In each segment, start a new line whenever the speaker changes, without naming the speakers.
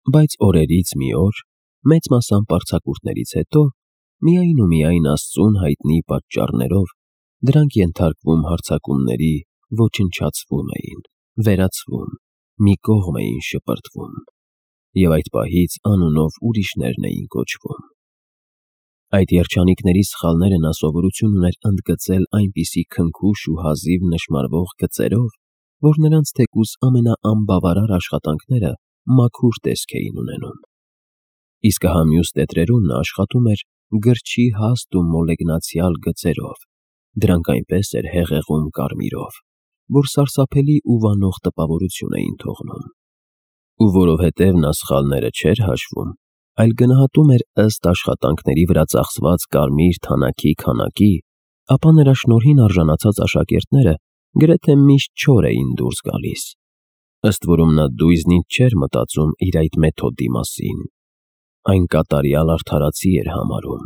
Բայց օրերից մի օր, մեծ մասամբ արձակուրդներից հետո, միայն ու միայն Աստծուն հայտնի պատճառներով, դրանք ենթարկվում հարձակումների, ոչնչացվում էին, վերացվում, մի կողմ էին շպրտվում, և այդ պահից անունով ուրիշներն էին կոչվում։ Այդ երջանիկների սխալները նա սովորություն ուներ ընդգծել այնպիսի քնքուշ ու հազիվ նշմարվող գծերով, որ նրանց թեկուզ ամենաանբավարար աշխատանքները մաքուր տեսք էին ունենում։ Իսկ ահա մյուս տետրերում նա աշխատում էր գրչի հաստ ու մոլեգնացյալ գծերով, դրանք այնպես էր հեղեղում կարմիրով, որ սարսափելի ու վանող տպավորություն էին թողնում։ Ու որովհետև նա սխալները չէր հաշվում, այլ գնահատում էր ըստ աշխատանքների վրա ծախսված կարմիր թանաքի քանակի, ապա նրա շնորհին արժանացած աշակերտները գրեթե միշտ չոր էին դուրս գալիս։ Ըստ որում նա դույզնից չէր մտածում իր այդ մեթոդի մասին, այն կատարյալ արդարացի էր համարում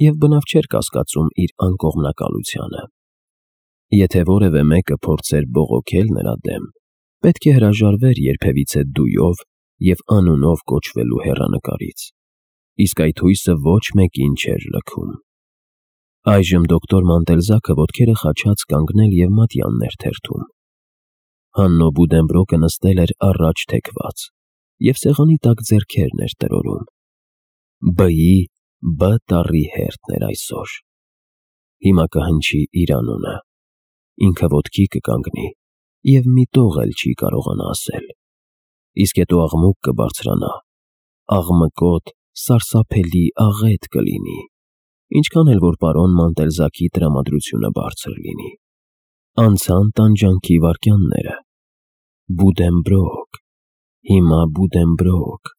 և բնավ չէր կասկածում իր անկողմնակալությանը։ Եթե որևէ մեկը փորձեր բողոքել նրա դեմ, պետք է հրաժարվեր երբևիցե դույով և անունով կոչվելու հեռանկարից, իսկ այդ հույսը ոչ մեկին չէր լքում։ Այժմ դոկտոր Մանտելզաքը ոտքերը խաչած կանգնել և մատյաններ թերթում։ Հաննո Բուդենբրոկը նստել էր առաջ թեքված և սեղանի տակ ձեռքերն էր տրորում։ B-ի B տառի հերթն էր այսօր։ Հիմա կհնչի իր անունը, ինքը ոտքի կկանգնի և մի տող էլ չի կարողանա ասել, իսկ հետո աղմուկ կբարձրանա, աղմկոտ, սարսափելի աղետ կլինի, ինչքան էլ որ պարոն Մանտելզաքի տրամադրությունը բարձր լինի։ Անցան տանջանքի վայրկյանները։ Բուդենբրոկ, հիմա Բուդենբրոկ,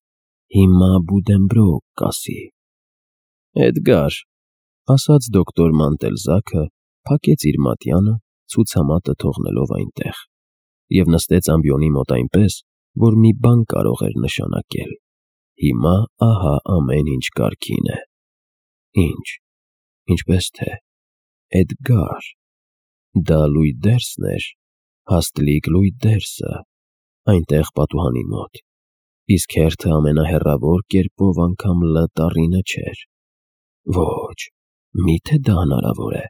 հիմա Բուդենբրոկ կասի։ Էդգար, ասաց դոկտոր Մանտելզաքը, փակեց իր մատյանը, ցուցամատը թողնելով այնտեղ, և նստեց ամբիոնի մոտ այնպես, որ մի բան կարող էր նշանակել. հիմա ահա ամեն ինչ կարգին է։ Ինչ, ինչպես թե, Էդգար, դա Լույդերսն էր, հաստլիկ Լույդերսը, այնտեղ պատուհանի մոտ, իսկ հերթը ամենահեռավոր կերպով անգամ L տառինը չէր։ Ոչ, միթե դա հնարավոր է,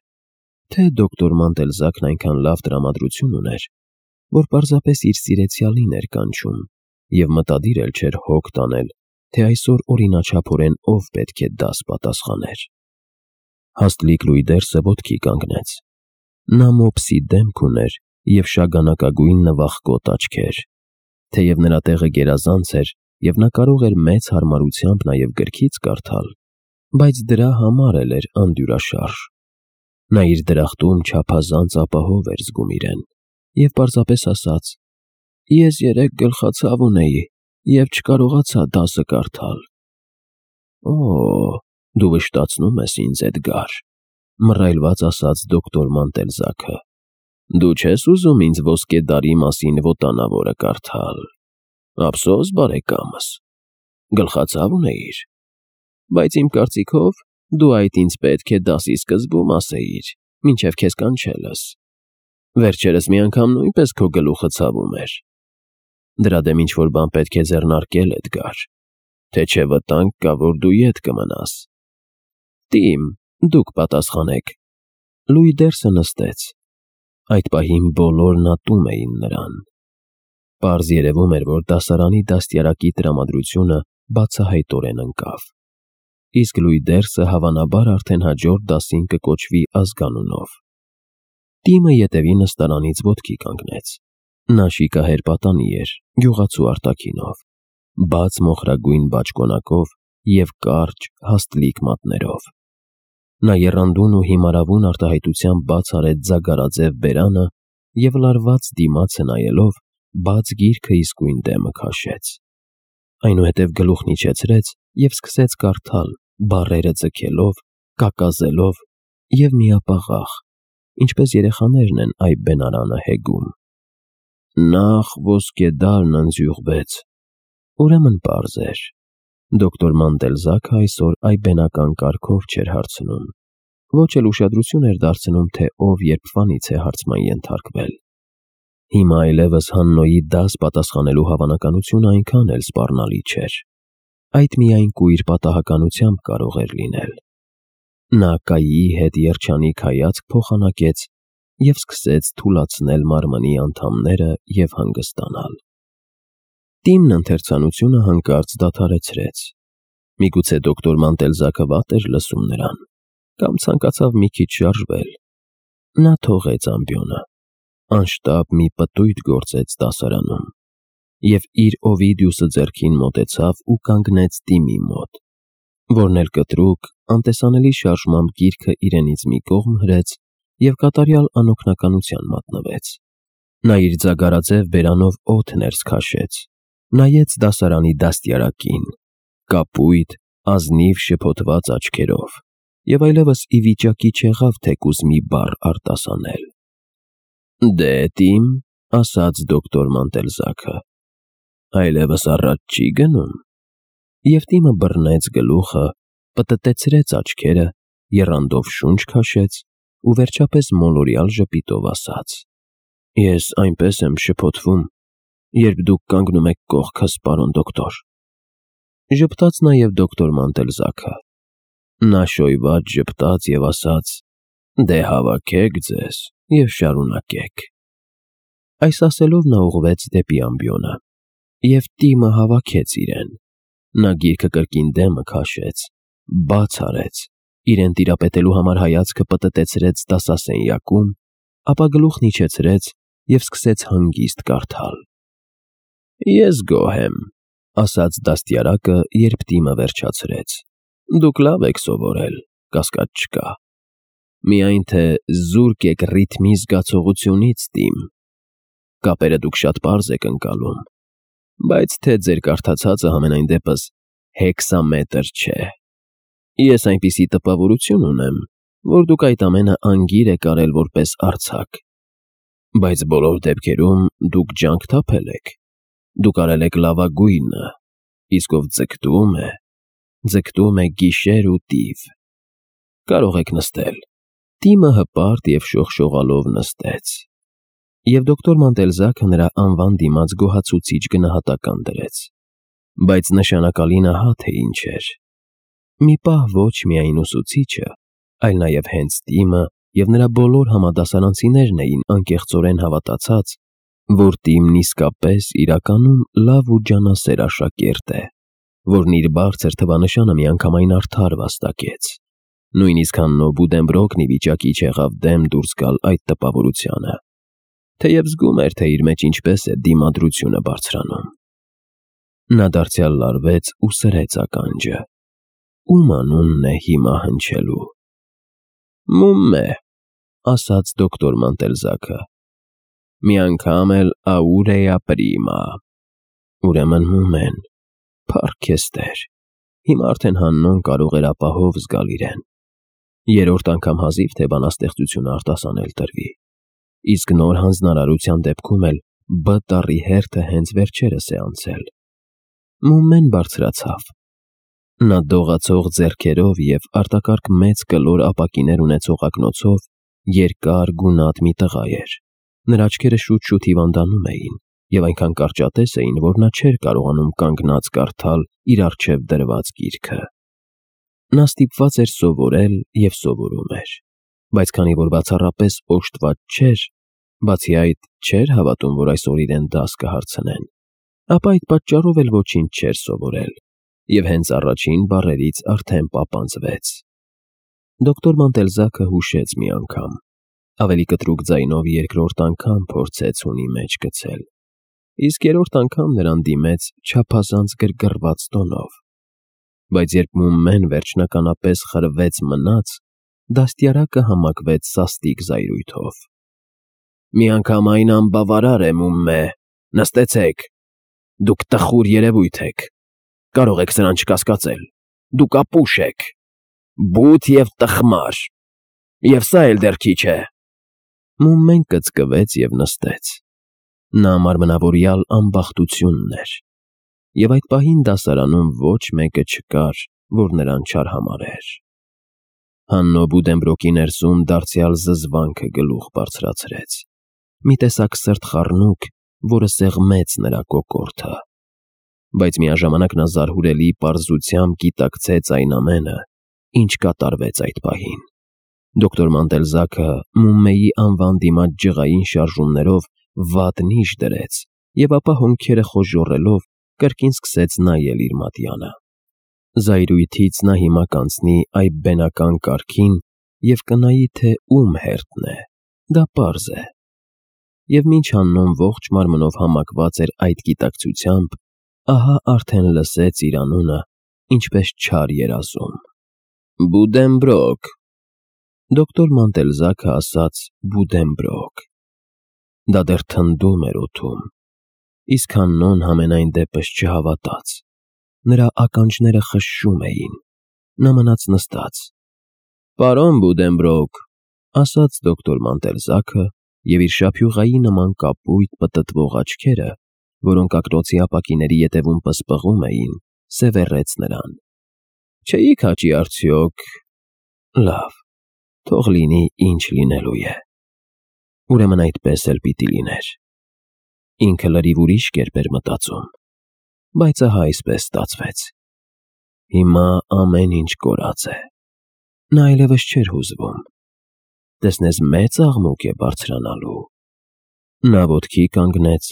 թե դոկտոր Մանտելզաքն այնքան լավ տրամադրություն ուներ, որ պարզապես իր սիրեցյալին էր կանչում և մտադիր էլ չէր հոգ տանել, թե այսօր օրինաչափորեն ով պետք է դաս պատասխաներ։ Հաստլիկ Լույդերսը ոտքի կանգնեց։ Նա մոպսի դեմք ուներ և շագանակագույն նվախկոտ աչքեր, թեև նրա տեղը գերազանց էր և նա կարող էր մեծ հարմարությամբ նաև գրքից կարդալ, բայց դրա համար էլ էր անդյուրաշարժ։ Նա իր դրախտում չափազանց ապահով էր զգում իրեն և պարզապես ասաց. «Ես երեկ գլխացավ ունեի և չկարողացա դասը կարդալ»։ «Օ, դու վշտացնում ես ինձ, Էդգար», մռայլված ասաց դոկտոր Մանտելզաքը։ «Դու չես ուզում ինձ ոսկե դարի մասին վոտանավորը կարդալ։ Ափսոս, բարեկամս, գլխացավ ունեիր, բայց իմ կարծիքով դու այդ ինձ պետք է դասի սկզբում ասեիր, մինչև քեզ կանչելս։ Վերջերս մի անգամ նույնպես քո գլուխը ցավում էր։ Դրա դեմ ինչ-որ բան պետք է ձեռնարկել, Էդգար, թե չէ վտանգ կա, որ դու ետ կմնաս»։ «Տիմ, դուք պատասխանեք»։ Լույդերսը նստեց։ Այդ պահին բոլորն ատում էին նրան։ Պարզ երևում էր, որ դասարանի դաստիարակի տրամադրությունը բացահայտորեն ընկավ, իսկ Լույդերսը հավանաբար արդեն հաջորդ դասին կկոչվի ազգանունով։ Տիմը ետևի նստարանից ոտքի կանգնեց։ Նա շիկահեր պատանի էր, գյուղացու արտաքինով, բաց մոխրագույն բաճկոնակով և կարճ, հաստլիկ մատներով։ Նա եռանդուն ու հիմարավուն արտահայտությամբ բաց արեց ձագարաձև բերանը և լարված դիմացը նայելով, բաց գիրքը իսկույն դեմը քաշեց։ Այնուհետև գլուխն իջեցրեց և սկսեց կարդալ, բառերը ձգելով, կակազելով և միապաղաղ, ինչպես երեխաներն են այբբենարանը հեգում։ Նախ ոսկեդարն ընձյուղվեց։ Ուրեմն պարզ էր։ Դոկտոր Մանտելզաքը այսօր այբբենական կարգով չէր հարցնում, ոչ էլ ուշադրություն էր դարձնում, թե ով երբվանից է հարցման ենթարկվել։ Հիմա այլևս Հաննոյի դաս պատասխանելու հավանականությունը այնքան էլ սպառնալի չէր։ Այդ միայն կույր պատահականությամբ կարող էր լինել։ Նա Կայիի հետ երջանիկ հայացք փոխանակեց և սկսեց թուլացնել մարմնի անդամները և հանգստանալ։ Տիմն ընթերցանությունը հանկարծ դադարեցրեց։ Միգուցե դոկտոր Մանտելզաքը վատ էր լսում նրան, կամ ցանկացավ մի քիչ շարժվել։ Նա թողեց ամբիոնը, անշտապ մի պտույտ գործեց դասարանում և իր Օվիդիուսը ձեռքին մոտեցավ ու կանգնեց Տիմի մոտ, որն էլ կտրուկ, անտեսանելի շարժմամբ գիրքը իրենից մի կողմ հրեց և կատարյալ անօգնականության մատնվեց։ Նա իր ձագարաձև բերանով օդ ներս քաշեց, նայեց դասարանի դաստիարակին, կապույտ, ազնիվ շփոթված աչքերով և այլևս ի վիճակի չեղավ թեկուզ մի բառ արտասանել։ «Դե, Տիմ», ասաց դոկտոր Մանտելզաքը, «այլևս առաջ չի գնում»։ Եվ Տիմը բռնեց գլուխը, պտտեցրեց աչքերը, եռանդով շունչ քաշեց ու վերջապես մոլորյալ ժպիտով ասաց. «Ես այնպես եմ շփոթվում, երբ դուք կանգնում եք կողքս, պարոն դոկտոր»։ Ժպտաց նաև դոկտոր Մանտելզաքը։ Նա շոյված ժպտաց և ասաց. «Դե հավաքեք ձեզ և շարունակեք»։ Այս ասելով նա ուղղվեց դեպի ամբիոնը, և Տիմը հավաքեց իրեն։ Նա գիրքը կրկին դեմը քաշեց, բաց արեց, իրեն տիրապետելու համար հայացքը պտտեցրեց դասասենյակում, ապա գլուխն իջեցրեց և սկսեց հանգիստ կարդալ։ «Ես գոհ եմ», ասաց դաստիարակը, երբ Տիմը վերջացրեց։ «Դուք լավ եք սովորել, կասկած չկա։ Միայն թե զուրկ եք ռիթմի զգացողությունից, Տիմ։ Կապերը դուք շատ պարզ եք ընկալում, բայց թե ձեր կարդացածը համենայն դեպս հեքսամետր չէ։ Ես այնպիսի տպավորություն ունեմ, որ դուք այդ ամենը անգիր եք արել որպես արձակ։ Բայց բոլոր դեպքերում դուք ջանք թափել եք։ Դուք արել եք լավագույնը, իսկ ով ձգտում է գիշեր ու տիվ։ Կարող եք նստել»։ Տիմը հպարտ և շողշողալով նստեց, և դոկտոր Մանտելզաքը նրա անվան դիմաց գոհացուցիչ գնահատական դրեց։ Բայց նշանակալին ահա թե ինչ էր. մի պահ ոչ միայն ուսուցիչը, այլ նաև հենց Տիմը և նրա բոլոր համադասարանցիներն էին անկեղծորեն հավատացած, որ Տիմն իսկապես իրականում լավ ու ջանասեր աշակերտ է, որն իր բարձր թվանշանը միանգամայն արդար վաստակեց։ Նույնիսկ Հաննո Բուդենբրոկն ի վիճակի չեղավ դեմ դուրս գալ այդ տպավորությանը, թեև զգում էր, թե իր մեջ ինչպես է դիմադրությունը բարձրանում։ Նա դարձյալ լարվեց ու սրեց ականջը։ Ում անունն է հիմա հնչելու։ «Մումմե», ասաց դոկտոր Մանտելզաքը, «մի անգամ էլ աուրեա պրիմա»։ Ուրեմն Մումեն։ Փառք քեզ Տեր։ Հիմա արդեն Հաննոն կարող էր ապահով զգալ իրեն։ Երրորդ անգամ հազիվ թե բանաստեղծությունը արտասանել տրվի, իսկ նոր հանձնարարության դեպքում էլ Բ տառի հերթը հենց վերջերս է անցել։ Մումեն բարձրացավ։ Նա դողացող ձեռքերով և արտակարգ մեծ կլոր ապակիներ ունեցող ակնոցով երկար գունատ մի տղա էր։ Նրա աչքերը շուտ-շուտ հիվանդանում էին և այնքան կարճատես էին, որ նա չէր կարողանում կանգնած կարդալ իր առջև դրված գիրքը։ Նա ստիպված էր սովորել և սովորում էր, բայց քանի որ բացառապես օժտված չէր, բացի այդ չէր հավատում, որ այսօր իրեն դաս կհարցնեն, ապա այդ պատճառով էլ ոչինչ չէր սովորել և հենց առաջին բառերից արդեն պապանձվեց։ Դոկտոր Մանտելզաքը հուշեց մի անգամ, ավելի կտրուկ ձայնով երկրորդ անգամ փորձեց հունի մեջ գցել, իսկ երրորդ անգամ նրան դիմեց չափազանց գրգռված տոնով։ Բայց երբ Մումմեն վերջնականապես խրվեց մնաց, դաստիարակը համակվեց սաստիկ զայրույթով. «Մի անգամ այն անբավարար է, Մումմե, նստեցեք։ Դուք տխուր երևույթ եք, կարող եք սրան չկասկածել։ Դուք ապուշ եք, բութ և տխմար, և սա էլ դեռ քիչ է»։ Մումմեն կծկվեց և նստեց։ Նա մարմնավորյալ ամբախտությունն էր, և այդ պահին դասարանում ոչ մեկը չկար, որ նրան չարհամարհեր։ Հաննո Բուդենբրոկի ներսում դարձյալ զզվանքը գլուխ բարձրացրեց։ մի տեսակ սրտխառնուկ, որը սեղմեց նրա կոկորդը։ Բայց միաժամանակ նա զարհուրելի պարզությամբ գիտակցեց այն ամենը, ինչ կատարվեց այդ պահին։ Դոկտոր Մանտելզաքը Մումմեի անվան դիմաց ջղային շարժումներով վատ նիշ դրեց և ապա հոնքերը խոժոռելով կրկին սկսեց նայել իր մատյանը։ Զայրույթից նա հիմա կանցնի այդ բենական կարգին և կնայի, թե ում հերթն է, դա պարզ է։ Եվ մինչ Հաննոն ողջ մարմնով համակված էր այդ գիտակցությամբ, ահա արդեն լսեց իր անունը ինչպես չար երազում. Բուդենբրոկ։ Դոկտոր Մանտելզաքը ասաց Բուդենբրոկ։ Դա դեռ թնդում էր օդում, իսկ Հաննոն համենայն դեպս չհավատաց։ Նրա ականջները խշշում էին, նա մնաց նստած։ Պարոն Բուդենբրոկ, ասաց դոկտոր Մանտելզաքը և իր շափյուղայի նման կապույտ պտտվող աչքերը, որոնք ակնոցի ապակիների ետևում պսպղում էին, սևեռեց նրան։ Չէիք հաճի արդյոք… Լավ, թող լինի ինչ լինելու է։ Ուրեմն այդպես էլ պիտի լիներ։ Ինքը լրիվ ուրիշ կերպ էր մտածում, բայց ահա այսպես ստացվեց։ Հիմա ամեն ինչ կորած է։ Նա այլևս չէր հուզվում։ Տեսնես մեծ աղմուկ է բարձրանալու։ Նա ոտքի կանգնեց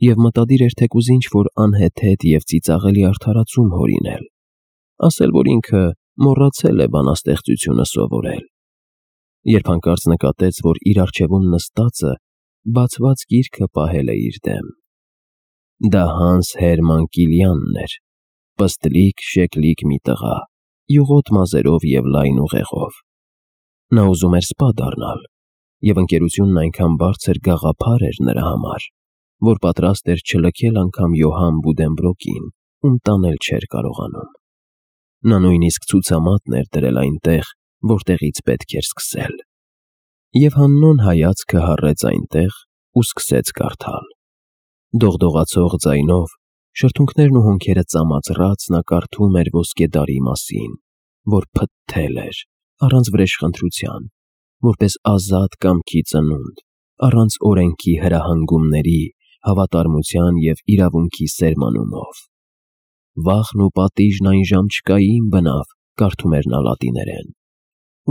և մտադիր էր թեկուզ ինչ-որ անհեթեթ և ծիծաղելի արդարացում հորինել, ասել, որ ինքը մոռացել է բանաստեղծությունը սովորել, երբ հանկարծ նկատեց, որ իր առջևում նստածը բացված գիրքը պահել է իր դեմ։ Դա Հանս Հերման Կիլյանն էր, պստլիկ, շեկլիկ մի տղա, յուղոտ մազերով և լայն ուղեղով։ Նա ուզում էր սպա դառնալ, և ընկերությունն այնքան բարձր գաղափար էր նրա համար, որ պատրաստ էր չլքել անգամ Յոհան Բուդենբրոկին, ում տանել չէր կարողանում։ Նա նույնիսկ ցուցամատն էր դրել այնտեղ, որտեղից պետք էր սկսել։ Եվ Հաննոն հայացքը հառեց այնտեղ ու սկսեց կարդալ։ Դողդողացող ձայնով, շրթունքներն ու հոնքերը ծամածռած նա կարդում էր ոսկեդարի մասին, որ փտթել էր, առանց վրեժխնդրության, որպես ազատ կամքի ծնունդ, առանց օրենքի հրահանգումների, հավատարմության և իրավունքի սերմանումով։ Վախն ու պատիժն այն ժամ չկային բնավ, կարդում էր նա լատիներեն։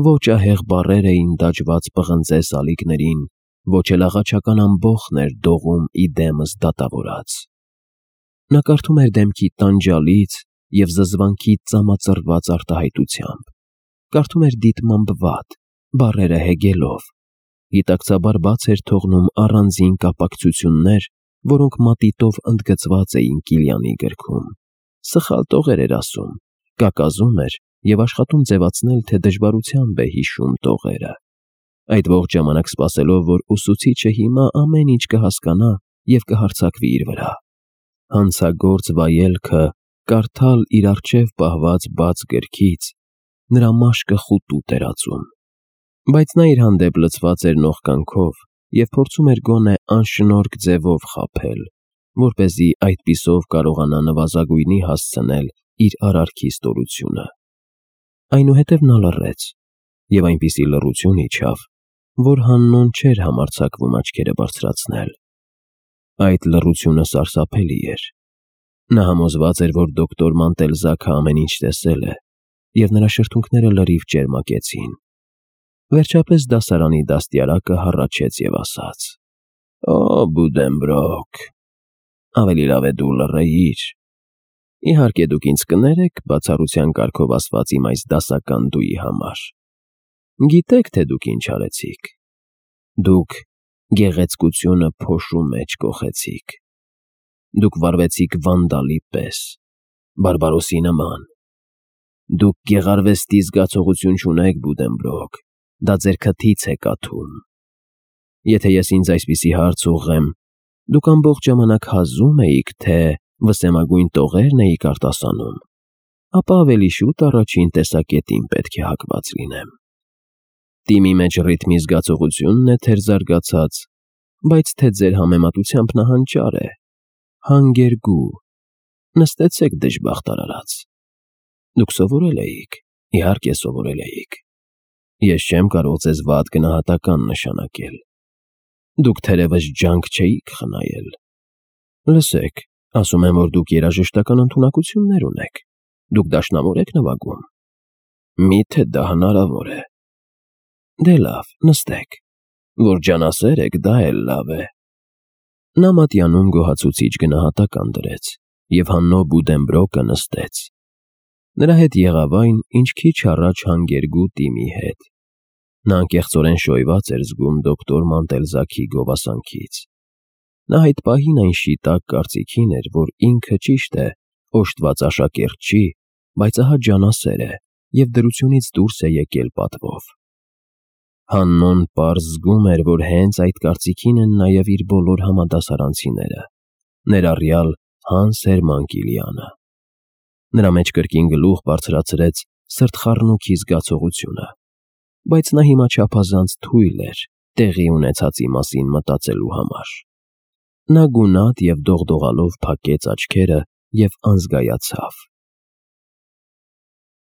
Ոչ ահեղ բառեր էին դաջված պղնձե սալիկներին, ոչ էլ աղաչական ամբոխն էր դողում ի դեմս դատավորած։ Նա կարդում էր դեմքի տանջալից և զզվանքի ծամածռված արտահայտությամբ, կարդում էր դիտմամբ վատ, բառերը հեգելով, գիտակցաբար բաց էր թողնում առանձին կապակցություններ, որոնք մատիտով ընդգծված էին Կիլյանի գրքում, սխալ տողեր էր ասում, կակազում էր և աշխատում ձևացնել, թե դժվարությամբ է հիշում տողերը, այդ ողջ ժամանակ սպասելով, որ ուսուցիչը հիմա ամեն ինչ կհասկանա և կհարձակվի իր վրա։ Հանցագործ վայելքը կարդալ իր առջև պահված բաց գրքից նրա մաշկը խուտուտ էր ածում, բայց նա իր հանդեպ լցված էր նողկանքով և փորձում էր գոնե անշնորհք ձևով խաբել, որպեսզի այդպիսով կարողանա նվազագույնի հասցնել իր արարքի ստորությունը։ Այնուհետև նա լռեց, և այնպիսի լռություն իջավ, որ Հաննոն չէր համարձակվում աչքերը բարձրացնել։ Այդ լռությունը սարսափելի էր։ Նա համոզված էր, որ դոկտոր Մանտելզաքը ամեն ինչ տեսել է, և նրա շրթունքները լրիվ ճերմակեցին։ Վերջապես դասարանի դաստիարակը հառաչեց և ասաց. Օ, Բուդենբրոկ, ավելի լավ է դու լռեիր։ Իհարկե դուք ինձ կներեք բացառության կարգով ասված իմ այս դասական դուի համար։ Գիտեք, թե դուք ինչ արեցիք։ Դուք գեղեցկությունը փոշու մեջ կոխեցիք։ Դուք վարվեցիք վանդալի պես, բարբարոսի նման։ Դուք գեղարվեստի զգացողություն չունեք, Բուդենբրոկ, դա ձեր քթից է կաթում։ Եթե ես ինձ այսպիսի հարց ուղղեմ, դուք ամբողջ ժամանակ հազում էիք, թե վսեմագույն տողերն էիք արտասանում, ապա ավելի շուտ առաջին տեսակետին պետք է հակված լինեմ։ Տիմի մեջ ռիթմի զգացողությունն է թերզարգացած, բայց թե ձեր համեմատությամբ նահանջար է, հանգերգու, նստեցեք դժբախտ արարած։ Դուք սովորել էիք, իհարկե սովորել էիք։ Ես չեմ կարող ձեզ վատ գնահատական նշանակել։ Դուք թերևս ջանք չէիք խնայել։ Լսեք, ասում են, որ դուք երաժշտական ընդունակություններ ունեք։ Դուք դաշնամուր եք նվագում։ Միթե դա հնարավոր է։ Դե լավ, նստեք։ Որ ջանասեր եք, դա էլ լավ է։ Նա մատյանում գոհացուցիչ գնահատական դրեց, և Հաննո Բուդենբրոկը նստեց։ Նրա հետ եղավ այն, ինչ քիչ առաջ հանգերգու Տիմի հետ։ Նա անկեղծորեն շոյված էր զգում դոկտոր Մանտելզաքի գովասանքից։ Նա այդ պահին այն շիտակ կարծիքին էր, որ ինքը ճիշտ է, օժտված աշակերտ չի, բայց ահա ջանասեր է և դրությունից դուրս է եկել պատվով։ Հաննոն պարզ զգում էր, որ հենց այդ կարծիքին են նաև իր բոլոր համադասարանցիները, ներառյալ Հանս Հերման Կիլյանը։ Նրա մեջ կրկին գլուխ բարձրացրեց սրտխառնուքի զգացողությունը, բայց նա հիմա չափազանց թույլ էր տեղի ունեցածի մասին մտածելու համար։ Նա գունատ և դողդողալով փակեց աչքերը և անզգայացավ։